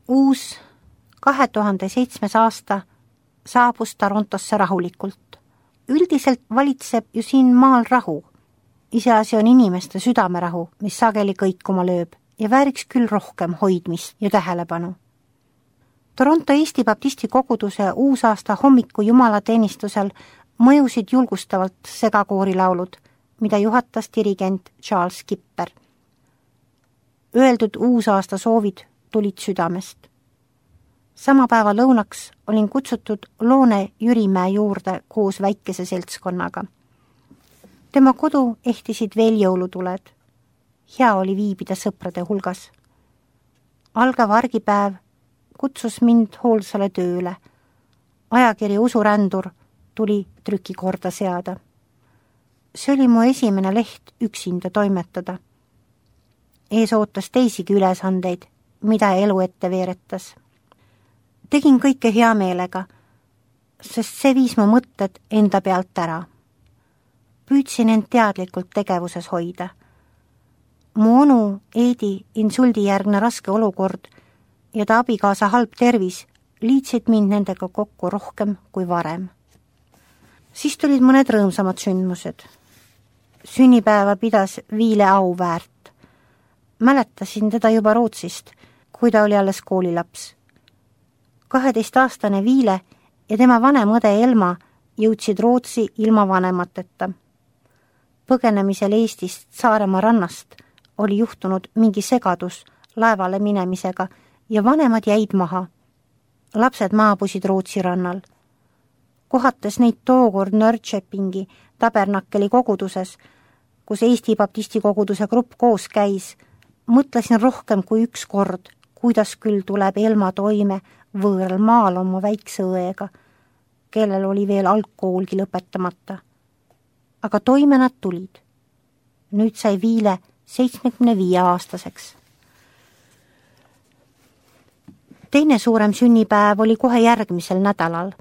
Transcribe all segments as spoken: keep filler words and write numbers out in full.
Uus kahe tuhande seitsmes aasta saabus Torontosse rahulikult. Üldiselt valitseb ju siin maal rahu. Iseasi on inimeste südamerahu, mis sageli kõikuma lööb ja vääriks küll rohkem hoidmist ja tähelepanu. Toronto Eesti Baptisti koguduse uusaasta hommiku jumalateenistusel mõjusid julgustavalt segakoorilaulud, mida juhatas dirigent Charles Kipper. Öeldud uusaasta soovid tulid südamest. Sama päeva lõunaks olin kutsutud Loone Jürimäe juurde koos väikese seltskonnaga. Tema kodu ehtisid veel jõulutuled. Hea oli viibida sõprade hulgas. Algav argipäev kutsus mind hoolsale tööle. Ajakiri Usurändur tuli trükikorda seada. See oli mu esimene leht üksinda toimetada. Ees ootas teisigi ülesandeid, mida elu ette veeretas. Tegin kõike hea meelega, sest see viis mu mõtted enda pealt ära. Püüdsin end teadlikult tegevuses hoida. Mu onu Eedi insuldijärgne raske olukord ja ta abikaasa halb tervis liitsid mind nendega kokku rohkem kui varem. Siis tulid mõned rõõmsamad sündmused. Sünnipäeva pidas Viile Auväärt. Mäletasin teda juba Rootsist, kui ta oli alles koolilaps. kaheteistaastane Viile ja tema vanem õde Elma jõudsid Rootsi ilma vanemateta. Põgenemisel Eestist Saaremaa rannast oli juhtunud mingi segadus laevale minemisega ja vanemad jäid maha. Lapsed maabusid Rootsi rannal. Kohates neid tookord Nörrköpingi Tabernakeli koguduses, kus Eesti Baptisti koguduse grupp koos käis, mõtlesin rohkem kui üks kord, kuidas küll tuleb Elma toime võõral maal oma väikse õega, kellel oli veel algkoolgi lõpetamata. Aga toime nad tulid. Nüüd sai Viile seitsmekümne viie aastaseks. Teine suurem sünnipäev oli kohe järgmisel nädalal.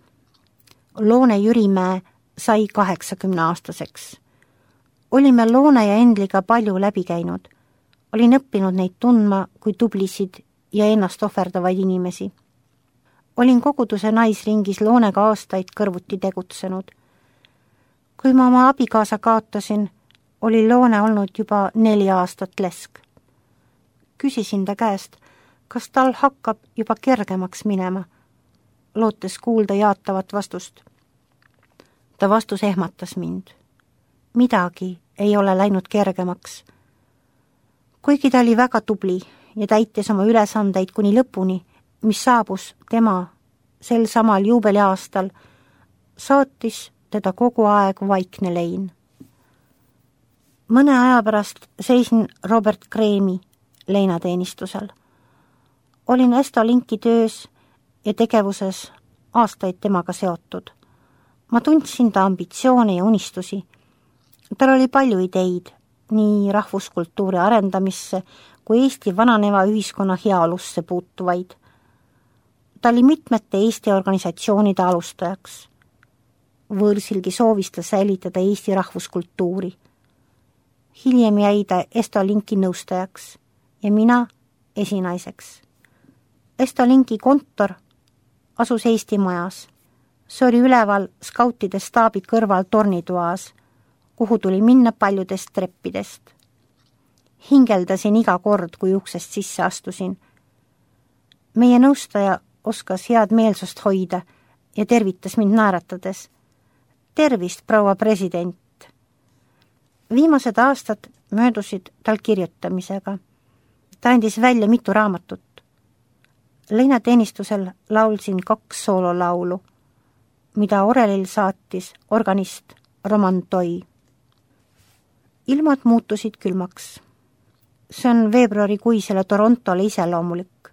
Loone Jürimäe sai kaheksakümne aastaseks. Olime Loone ja Endliga palju läbi käinud. Olin õppinud neid tundma kui tublisid ja ennast ohverdavaid inimesi. Olin koguduse naisringis Loonega aastaid kõrvuti tegutsenud. Kui ma oma abikaasa kaotasin, oli Loone olnud juba neli aastat lesk. Küsisin ta käest, kas tal hakkab juba kergemaks minema, lootes kuulda jaatavat vastust. Ta vastus ehmatas mind. Midagi ei ole läinud kergemaks. Kuigi ta oli väga tubli ja täitis oma ülesandeid kuni lõpuni, mis saabus tema sel samal juubeliaastal, saatis teda kogu aeg vaikne lein. Mõne aja pärast seisin Robert Kreemi leinateenistusel. Olin Estolinki töös ja tegevuses aastaid temaga seotud. Ma tundsin ta ambitsioone ja unistusi. Tal oli palju ideid, nii rahvuskultuuri arendamisse kui Eesti vananeva ühiskonna heaolusse puutuvaid. Ta oli mitmete Eesti organisatsioonide alustajaks. Võõrsilgi soovis ta säilitada Eesti rahvuskultuuri. Hiljem jäi ta Estolinki nõustajaks ja mina esinaiseks. Estolinki kontor asus Eesti majas. See oli üleval skautide staabi kõrval tornitoas, kuhu tuli minna paljudest treppidest. Hingeldasin iga kord, kui uksest sisse astusin. Meie nõustaja oskas head meelsust hoida ja tervitas mind naeratades. Tervist, proua president! Viimased aastad möödusid tal kirjutamisega. Ta andis välja mitu raamatut. Leinateenistusel laulsin kaks soololaulu, mida orelil saatis organist Roman Toi. Ilmad muutusid külmaks. See on veebruarikuisele Torontole iseloomulik.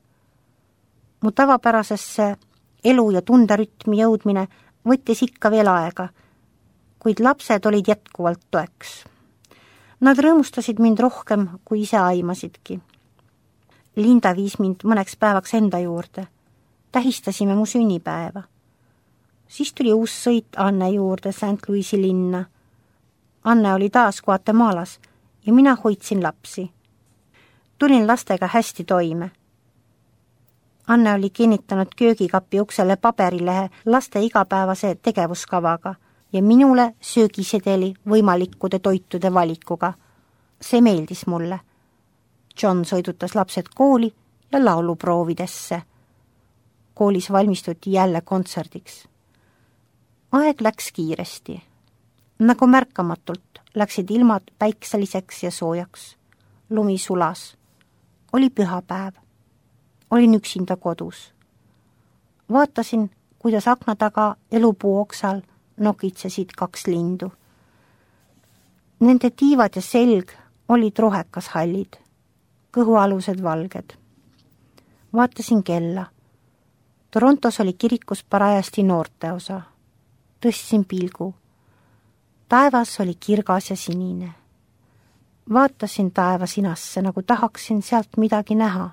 Mu tavapärasesse elu- ja tunderütmi jõudmine võttis ikka veel aega, kuid lapsed olid jätkuvalt toeks. Nad rõõmustasid mind rohkem, kui ise aimasidki. Linda viis mind mõneks päevaks enda juurde. Tähistasime mu sünnipäeva. Siis tuli uus sõit Anne juurde Saint Louisi linna. Anne oli taas Guatemaalas ja mina hoidsin lapsi. Tulin lastega hästi toime. Anne oli kinnitanud köögikapi uksele paberilehe laste igapäevase tegevuskavaga ja minule söögisedeli võimalikkude toitude valikuga. See meeldis mulle. John sõidutas lapsed kooli ja lauluproovidesse. Koolis valmistuti jälle kontserdiks. Aeg läks kiiresti. Nagu märkamatult läksid ilmad päikseliseks ja soojaks. Lumi sulas. Oli pühapäev. Olin üksinda kodus. Vaatasin, kuidas akna taga elupuu oksal nokitsesid kaks lindu. Nende tiivad ja selg olid rohekas hallid, kõhualused valged. Vaatasin kella. Torontos oli kirikus parajasti noorteosa. Tõstsin pilgu. Taevas oli kirgas ja sinine. Vaatasin taeva sinasse, nagu tahaksin sealt midagi näha.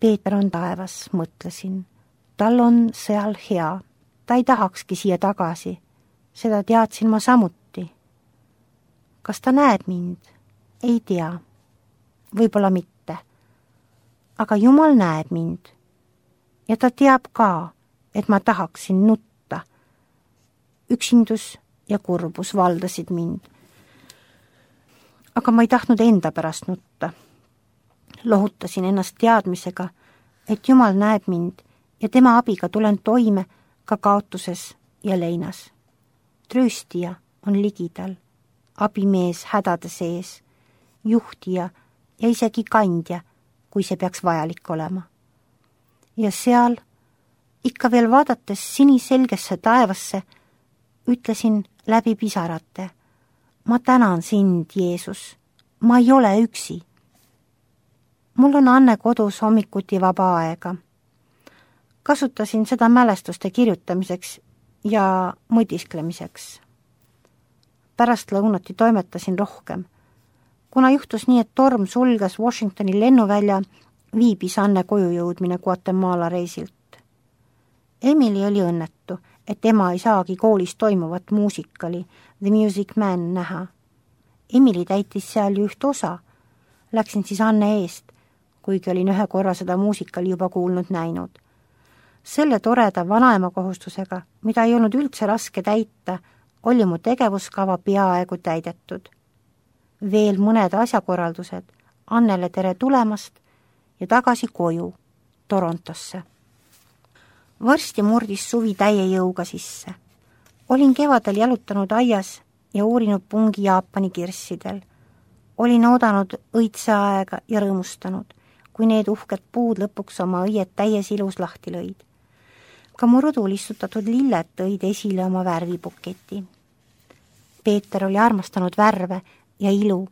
Peeter on taevas, mõtlesin. Tal on seal hea. Ta ei tahakski siia tagasi. Seda teadsin ma samuti. Kas ta näeb mind? Ei tea. Võib-olla mitte. Aga Jumal näeb mind. Ja ta teab ka, et ma tahaksin nutta. Üksindus ja kurbus valdasid mind. Aga ma ei tahtnud enda pärast nutta. Lohutasin ennast teadmisega, et Jumal näeb mind ja tema abiga tulen toime ka kaotuses ja leinas. Trööstija on ligidal, abimees hädade sees, juhtija ja isegi kandja, kui see peaks vajalik olema. Ja seal, ikka veel vaadates siniselgesse taevasse, ütlesin läbi pisarate, ma tänan sind, Jeesus, ma ei ole üksi. Mul on Anne kodus hommikuti vaba aega. Kasutasin seda mälestuste kirjutamiseks ja mõtisklemiseks. Pärast lõunati toimetasin rohkem. Kuna juhtus nii, et torm sulges Washingtoni lennuvälja, viibis Anne koju jõudmine Guatemala reisilt. Emily oli õnnetu, et ema ei saagi koolis toimuvat muusikali The Music Man näha. Emily täitis seal ju üht osa. Läksin siis Anne eest, kuigi olin ühe korra seda muusikali juba kuulnud näinud. Selle toreda vanaema kohustusega, mida ei olnud üldse raske täita, oli mu tegevuskava peaaegu täidetud. Veel mõned asjakorraldused, Annele tere tulemast ja tagasi koju, Torontosse. Varsti murdis suvi täie jõuga sisse. Olin kevadel jalutanud aias ja uurinud pungi Jaapani kirssidel. Olin oodanud õitse aega ja rõõmustanud, kui need uhked puud lõpuks oma õied täies ilus lahti lõid. Ka mu rõdul istutatud lilled tõid esile oma värvibuketi. Peeter oli armastanud värve ja ilu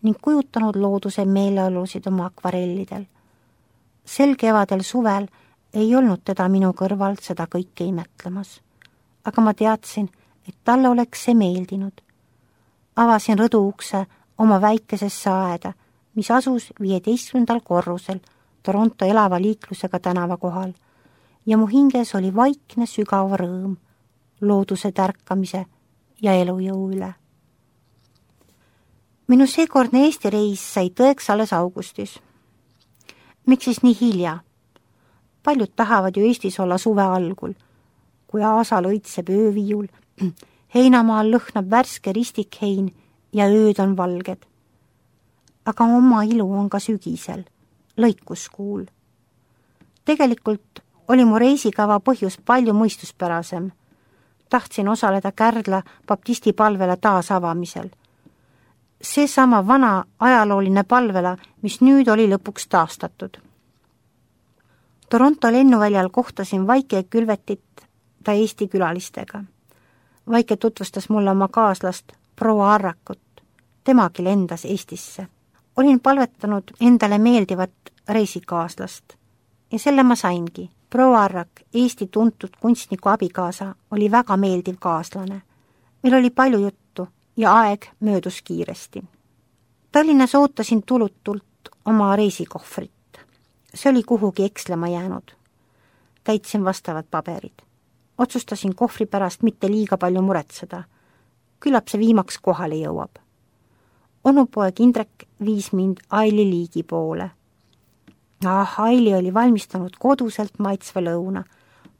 ning kujutanud looduse meeleolusid oma akvarellidel. Sel kevadel suvel ei olnud teda minu kõrval seda kõike imetlemas, aga ma teadsin, et talle oleks see meeldinud. Avasin rõdu ukse oma väikesesse aeda, mis asus viieteistkümnendal korrusel Toronto elava liiklusega tänava kohal ja mu hinges oli vaikne sügav rõõm looduse tärkamise ja elujõu üle. Minu seekordne Eesti reis sai tõeks alles augustis. Miks siis nii hilja? Paljud tahavad ju Eestis olla suve algul, kui aasal õitseb ööviiul, heinamaal lõhnab värske ristikhein ja ööd on valged. Aga oma ilu on ka sügisel, lõikuskuul. Tegelikult oli mu reisikava põhjus palju mõistuspärasem. Tahtsin osaleda Kärdla baptisti palvela taasavamisel. Seesama vana ajalooline palvela, mis nüüd oli lõpuks taastatud. Toronto lennuväljal kohtasin Vaike Külvetit ta Eesti külalistega. Vaike tutvustas mulle oma kaaslast proua Arrakut. Temagi lendas Eestisse. Olin palvetanud endale meeldivat reisikaaslast ja selle ma saingi. Proua Arrak, Eesti tuntud kunstniku abikaasa, oli väga meeldiv kaaslane. Meil oli palju juttu ja aeg möödus kiiresti. Tallinnas ootasin tulutult oma reisikohvrit. See oli kuhugi ekslema jäänud. Täitsin vastavad paberid. Otsustasin kohvri pärast mitte liiga palju muretseda. Küllap see viimaks kohale jõuab. Onupoeg Indrek viis mind Aili Liigi poole. Ah, Aili oli valmistanud koduselt maitsva lõuna,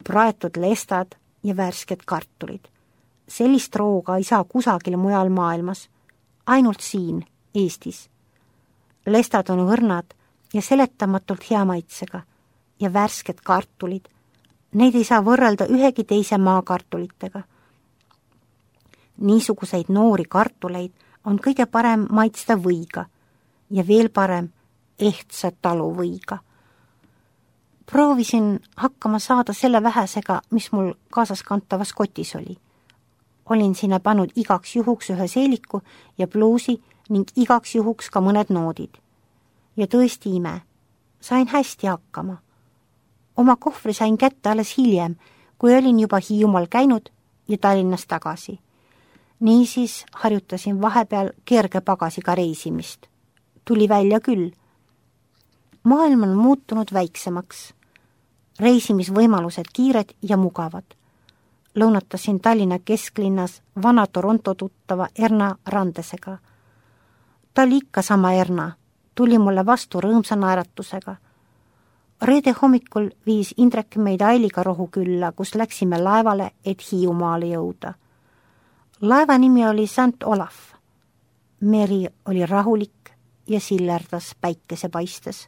praetud lestad ja värsked kartulid. Sellist rooga ei saa kusagil mujal maailmas, ainult siin, Eestis. Lestad on õrnad ja seletamatult hea maitsega ja värsked kartulid, neid ei saa võrrelda ühegi teise maakartulitega. Niisuguseid noori kartuleid on kõige parem maitsta võiga ja veel parem ehtsa taluvõiga. Proovisin hakkama saada selle vähesega, mis mul kaasas kantavas kotis oli. Olin sinna pannud igaks juhuks ühe seeliku ja pluusi ning igaks juhuks ka mõned noodid. Ja tõesti ime, sain hästi hakkama. Oma kohvri sain kätte alles hiljem, kui olin juba Hiiumaal käinud ja Tallinnas tagasi. Niisiis harjutasin vahepeal kerge pagasiga reisimist. Tuli välja küll. Maailm on muutunud väiksemaks. Reisimisvõimalused kiired ja mugavad. Lõunatasin Tallinna kesklinnas vana Toronto tuttava Erna Randesega. Ta oli ikka sama Erna, tuli mulle vastu rõõmsa naeratusega. Reede hommikul viis Indrek meid Ailiga Rohukülla, kus läksime laevale, et Hiiumaale jõuda. Laeva nimi oli Saint Olaf. Meri oli rahulik ja sillerdas päikese paistes.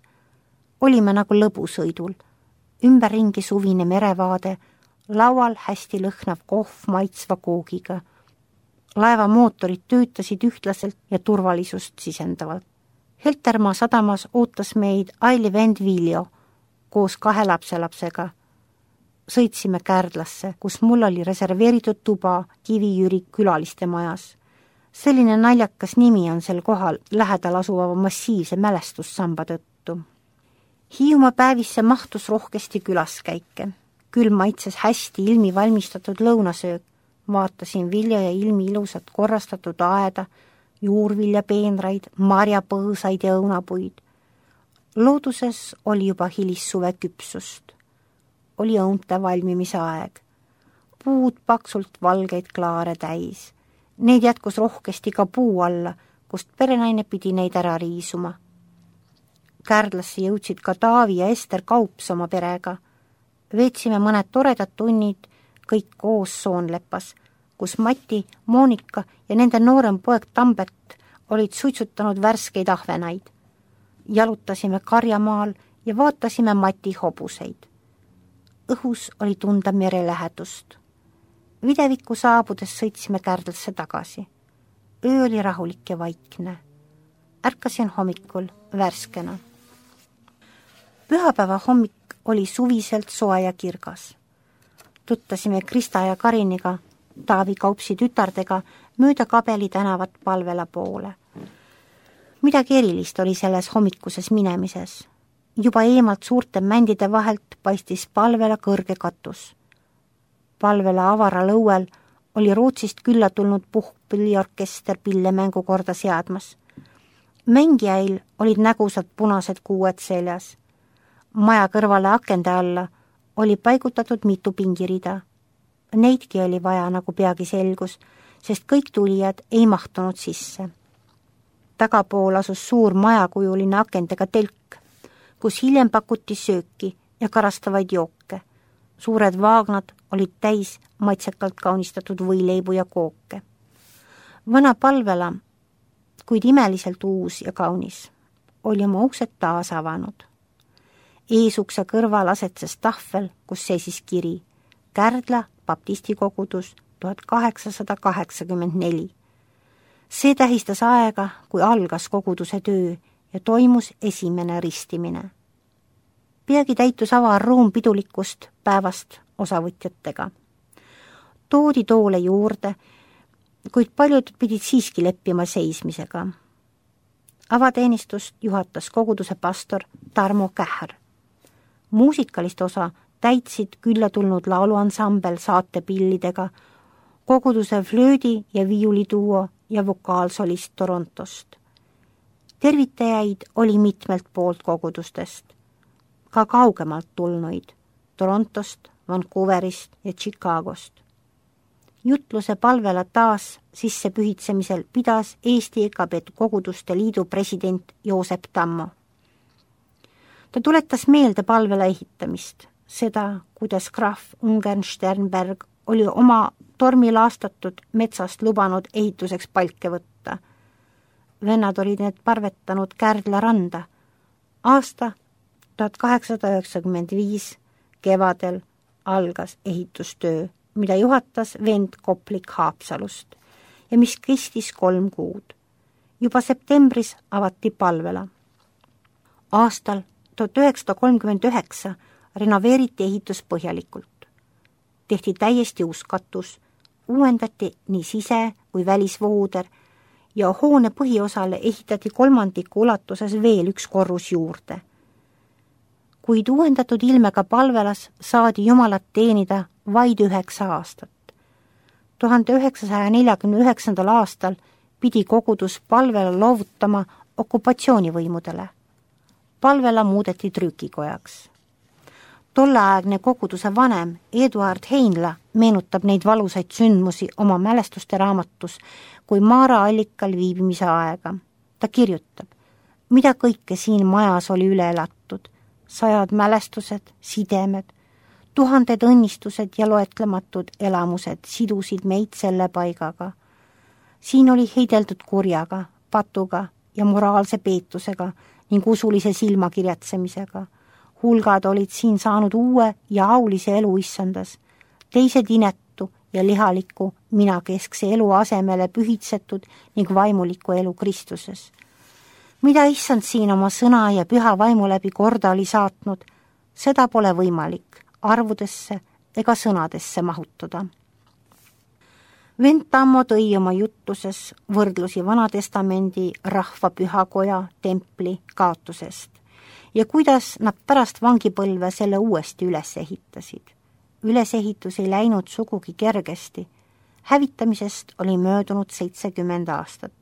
Olime nagu lõbusõidul, ümberringi suvine merevaade, laual hästi lõhnav kohv maitsva koogiga. Laeva mootorid töötasid ühtlaselt ja turvalisust sisendavalt. Heltermaa sadamas ootas meid Aili vend Viljo koos kahe lapselapsega. Sõitsime Kärdlasse, kus mul oli reserveeritud tuba Kivi-Jüri külaliste majas. Selline naljakas nimi on sel kohal lähedal asuva massiivse mälestussamba tõttu. Hiiumaa päevisse mahtus rohkesti külaskäike. Küll maitses hästi ilmi valmistatud lõunasöök. Vaatasin Vilja ja ilmi ilusat korrastatud aeda, juurviljapeenraid, marjapõõsaid ja õunapuid. Looduses oli juba hilissuve küpsust. Oli õunte valmimise aeg. Puud paksult valgeid klaare täis. Neid jätkus rohkesti ka puu alla, kust perenaine pidi neid ära riisuma. Kärdlasse jõudsid ka Taavi ja Ester Kaups oma perega. Veetsime mõned toredad tunnid kõik koos Soonlepas, kus Mati, Moonika ja nende noorem poeg Tambet olid suitsutanud värskeid ahvenaid. Jalutasime karjamaal ja vaatasime Mati hobuseid. Õhus oli tunda mere lähedust. Videviku saabudes sõitsime Kärdlasse tagasi. Öö oli rahulik ja vaikne. Ärkasin hommikul värskena. Pühapäeva hommik oli suviselt soe ja kirgas. Tuttasime Krista ja Kariniga, Taavi Kaupsi tütardega, mööda Kabeli tänavat Palvela poole. Midagi erilist oli selles hommikuses minemises. Juba eemalt suurte mändide vahelt paistis Palvela kõrge katus. Palvela avara lõuel oli Rootsist külla tulnud puhkpilliorkester pillemängu korda seadmas. Mängijail olid nägusad punased kuued seljas. Maja kõrvale akende alla oli paigutatud mitu pingirida. Neidki oli vaja, nagu peagi selgus, sest kõik tulijad ei mahtunud sisse. Tagapool asus suur majakujuline akendega telk, kus hiljem pakuti sööki ja karastavaid jooke. Suured vaagnad olid täis maitsekalt kaunistatud võileibu ja kooke. Vana Palvela, kuid imeliselt uus ja kaunis, oli oma uksed taas avanud. Eesukse kõrval asetses tahvel, kus seisis kiri Kärdla baptisti kogudus tuhat kaheksasada kaheksakümmend neli. See tähistas aega, kui algas koguduse töö ja toimus esimene ristimine. Peagi täitus avar ruum pidulikust päevast osavõtjatega. Toodi toole juurde, kuid paljud pidid siiski leppima seismisega. Avateenistust juhatas koguduse pastor Tarmo Kähr. Muusikalist osa täitsid külla tulnud lauluansambel saatepillidega, koguduse flöödi ja viiuliduo ja vokaalsolist Torontost. Tervitajaid oli mitmelt poolt kogudustest, ka kaugemalt tulnuid, Torontost, Vancouverist ja Chicagost. Jutluse Palvela taas sissepühitsemisel pidas Eesti E K B Koguduste Liidu president Joosep Tammo. ta tuletas meelde palvela ehitamist, seda, kuidas krahv Ungern-Sternberg oli oma tormilaastatud metsast lubanud ehituseks palke võtta. Vennad olid need parvetanud Kärdla randa. Aasta tuhat kaheksasada üheksakümmend viis kevadel algas ehitustöö, mida juhatas vend Koplik Haapsalust ja mis kestis kolm kuud. Juba septembris avati palvela. Aastal tuhat üheksasada kolmkümmend üheksa renoveeriti ehitus põhjalikult. Tehti täiesti uus katus, uuendati nii sise- kui välisvooder ja hoone põhiosale ehitati kolmandiku ulatuses veel üks korrus juurde. Kuid uuendatud ilmega palvelas saadi Jumalat teenida vaid üheksa aastat. tuhande üheksasaja neljakümne üheksandal aastal pidi kogudus palvela loovutama okupatsioonivõimudele. Palvela muudeti trükikojaks. Tolleaegne koguduse vanem Eduard Heinla meenutab neid valusaid sündmusi oma mälestuste raamatus kui Maara allikal viibimise aega. Ta kirjutab, mida kõike siin majas oli üle elatud, sajad mälestused, sidemed, tuhanded õnnistused ja loetlematud elamused sidusid meid selle paigaga. Siin oli heideldud kurjaga, patuga ja moraalse peetusega ning usulise silmakirjatsemisega. Hulgad olid siin saanud uue ja aulise elu issandas, teised inetu ja lihaliku minakeskse elu asemele pühitsetud ning vaimuliku elu Kristuses. Mida issand siin oma sõna ja püha vaimu läbi korda oli saatnud, seda pole võimalik arvudesse ega sõnadesse mahutada. Vend Tammo tõi oma juttuses võrdlusi Vanatestamendi rahva pühakoja templi kaotusest ja kuidas nad pärast vangipõlve selle uuesti üles ehitasid. Ülesehitus ei läinud sugugi kergesti. Hävitamisest oli möödunud seitsekümmend aastat.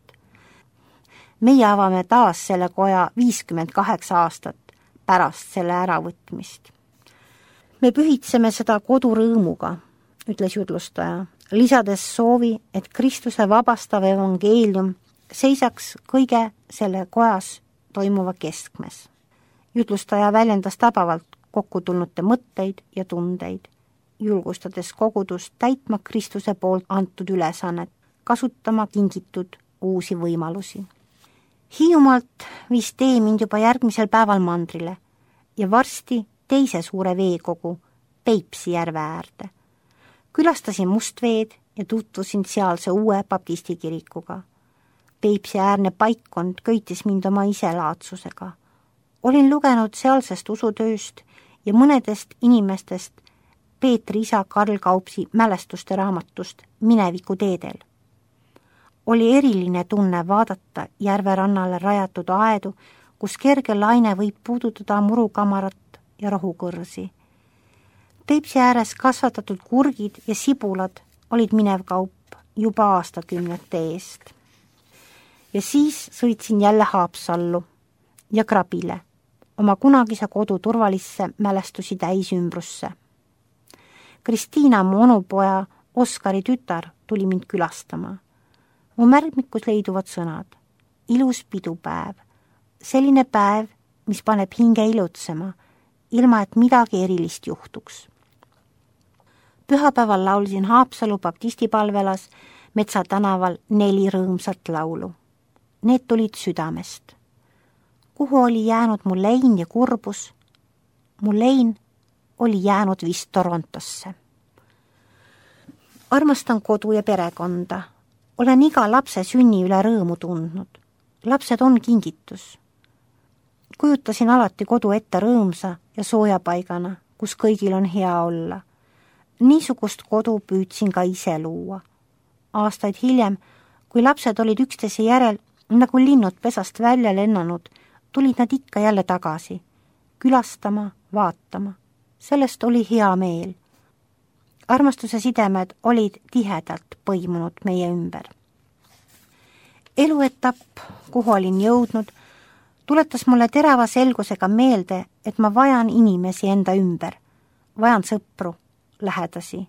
Meie avame taas selle koja viiskümmend kaheksa aastat pärast selle äravõtmist. Me pühitseme seda kodurõõmuga, ütles jutlustaja, lisades soovi, et Kristuse vabastav evangeelium seisaks kõige selle kojas toimuva keskmes. Jutlustaja väljendas tabavalt kokkutulnute mõtteid ja tundeid, julgustades kogudust täitma Kristuse poolt antud ülesannet, kasutama kingitud uusi võimalusi. Hiiumaalt viis tee mind juba järgmisel päeval mandrile ja varsti teise suure veekogu Peipsi järve äärde. Külastasin Mustveed ja tutvusin sealse uue baptistikirikuga. Peipsi äärne paikkond köitis mind oma iselaadsusega. Olin lugenud sealsest usutööst ja mõnedest inimestest Peetri isa Karl Kaupsi mälestuste raamatust Mineviku teedel. Oli eriline tunne vaadata järverannale rajatud aedu, kus kerge laine võib puudutada murukamarat ja rohukõrsi. Peipsi ääres kasvatatud kurgid ja sibulad olid minev kaup juba aastakümnete eest. Ja siis sõitsin jälle Haapsallu ja Krabile, oma kunagise kodu turvalisse mälestusi täisümbrusse. Kristiina, mu onupoja Oskari tütar, tuli mind külastama. Mu märkmikus leiduvad sõnad. Ilus pidupäev. Selline päev, mis paneb hinge ilutsema, ilma et midagi erilist juhtuks. Pühapäeval laulsin Haapsalu baptistipalvelas Metsa tänaval neli rõõmsat laulu. Need tulid südamest. Kuhu oli jäänud mu lein ja kurbus? Mu lein oli jäänud vist Torontosse. Armastan kodu ja perekonda. Olen iga lapse sünni üle rõõmu tundnud. Lapsed on kingitus. Kujutasin alati kodu ette rõõmsa ja soojapaigana, kus kõigil on hea olla. Niisugust kodu püüdsin ka ise luua. Aastaid hiljem, kui lapsed olid üksteise järel, nagu linnud pesast välja lennanud, tulid nad ikka jälle tagasi, külastama, vaatama. Sellest oli hea meel. Armastuse sidemed olid tihedalt põimunud meie ümber. Eluetapp, kuhu olin jõudnud, tuletas mulle terava selgusega meelde, et ma vajan inimesi enda ümber. Vajan sõpru, lähedasi.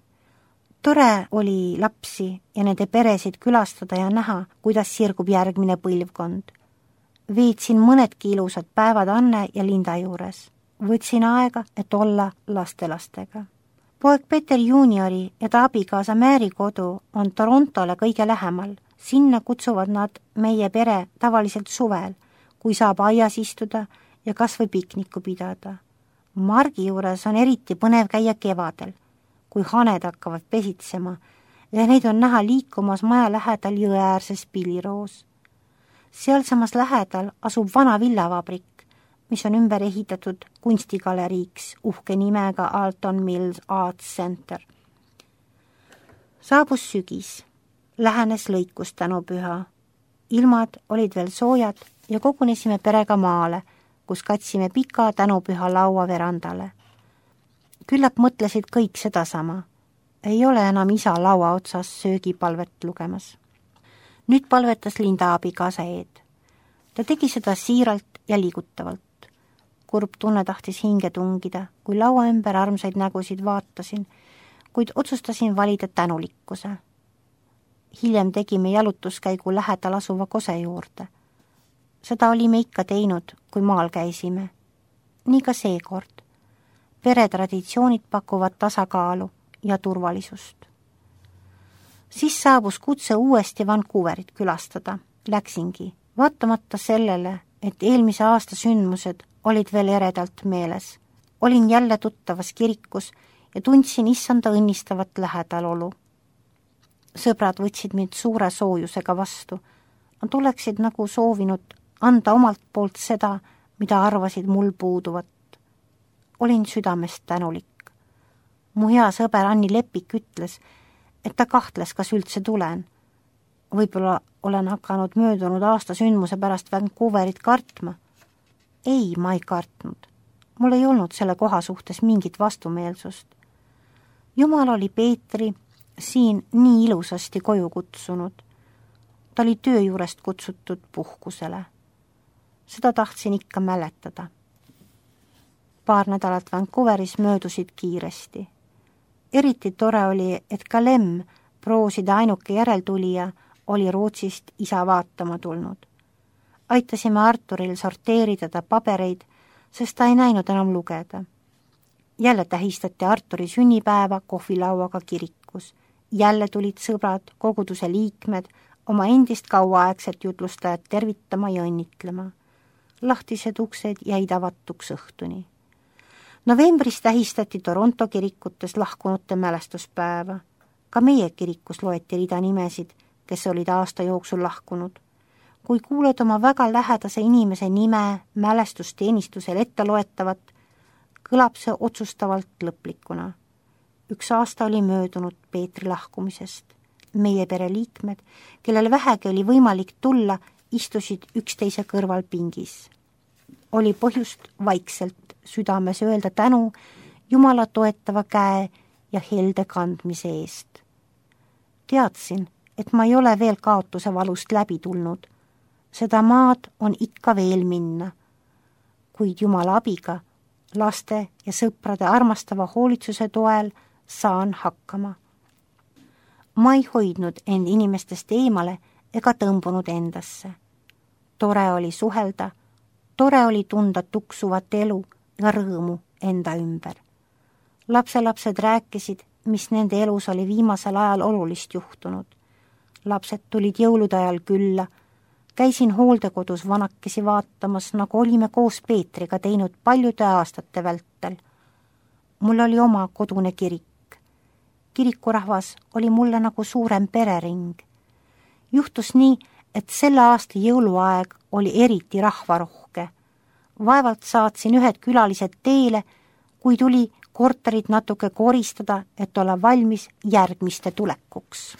Tore oli lapsi ja nende peresid külastada ja näha, kuidas sirgub järgmine põlvkond. Veetsin mõnedki ilusad päevad Anne ja Linda juures. Võtsin aega, et olla lastelastega. Poeg Peter juuniori ja ta abikaasa Mary kodu on Torontole kõige lähemal. Sinna kutsuvad nad meie pere tavaliselt suvel, kui saab aias istuda ja kas või pikniku pidada. Margi juures on eriti põnev käia kevadel, kui haned hakkavad pesitsema ja neid on näha liikumas maja lähedal jõeäärses Pilliroos. Sealsamas lähedal asub vana villavabrik, mis on ümber ehitatud kunstigaleriiks uhke nimega Alton Mills Arts Center. Saabus sügis, lähenes lõikus tänupüha. Ilmad olid veel soojad ja kogunesime perega maale, kus katsime pika tänupüha laua verandale. Küllap mõtlesid kõik sedasama. Ei ole enam isa laua otsas söögipalvet lugemas. Nüüd palvetas Linda abikaasa Eed. Ta tegi seda siiralt ja liigutavalt. Kurb tunne tahtis hinge tungida, kui laua ümber armsaid nägusid vaatasin, kuid otsustasin valida tänulikkuse. Hiljem tegime jalutuskäigu lähedal asuva kose juurde. Seda olime ikka teinud, kui maal käisime. Nii ka seekord. Peretraditsioonid pakuvad tasakaalu ja turvalisust. Siis saabus kutse uuesti Vancouverit külastada. Läksingi, vaatamata sellele, et eelmise aasta sündmused olid veel eredalt meeles. Olin jälle tuttavas kirikus ja tundsin issanda õnnistavat lähedalolu. Sõbrad võtsid mind suure soojusega vastu. Nad oleksid nagu soovinud anda omalt poolt seda, mida arvasid mul puuduvat. Olin südamest tänulik. Mu hea sõber Anni Lepik ütles, et ta kahtles, kas üldse tulen. Võib-olla olen hakanud möödunud aasta sündmuse pärast Vancouverit kartma. Ei, ma ei kartnud. Mul ei olnud selle koha suhtes mingit vastumeelsust. Jumal oli Peetri siin nii ilusasti koju kutsunud. Ta oli töö juurest kutsutud puhkusele. Seda tahtsin ikka mäletada. Paar nädalat Vancouveris möödusid kiiresti. Eriti tore oli, et ka Lem, prooside ainuke järeltulija, oli Rootsist isa vaatama tulnud. Aitasime Arturil sorteerida ta pabereid, sest ta ei näinud enam lugeda. Jälle tähistati Arturi sünnipäeva kohvilauaga kirikus. Jälle tulid sõbrad, koguduse liikmed, oma endist kauaaegset jutlustajat tervitama ja õnnitlema. Lahtised uksed jäid avatuks õhtuni. Novembris tähistati Toronto kirikutes lahkunute mälestuspäeva. Ka meie kirikus loeti rida nimesid, kes olid aasta jooksul lahkunud. Kui kuuled oma väga lähedase inimese nime mälestusteenistusel ette loetavat, kõlab see otsustavalt lõplikuna. Üks aasta oli möödunud Peetri lahkumisest. Meie pereliikmed, kellel vähegi oli võimalik tulla, istusid üksteise kõrval pingis. Oli põhjust vaikselt südames öelda tänu Jumala toetava käe ja helde kandmise eest. Teadsin, et ma ei ole veel kaotuse valust läbi tulnud. Seda maad on ikka veel minna. Kuid Jumala abiga, laste ja sõprade armastava hoolitsuse toel saan hakkama. Ma ei hoidnud end inimestest eemale ega tõmbunud endasse. Tore oli suhelda, tore oli tunda tuksuvat elu ja rõõmu enda ümber. Lapselapsed rääkisid, mis nende elus oli viimasel ajal olulist juhtunud. Lapsed tulid jõulude ajal külla, käisin hooldekodus vanakesi vaatamas, nagu olime koos Peetriga teinud paljude aastate vältel. Mul oli oma kodune kirik. Kirikurahvas oli mulle nagu suurem perering. Juhtus nii, et selle aasta jõuluaeg oli eriti rahvarohke. Vaevalt saatsin ühed külalised teele, kui tuli korterit natuke koristada, et olla valmis järgmiste tulekuks.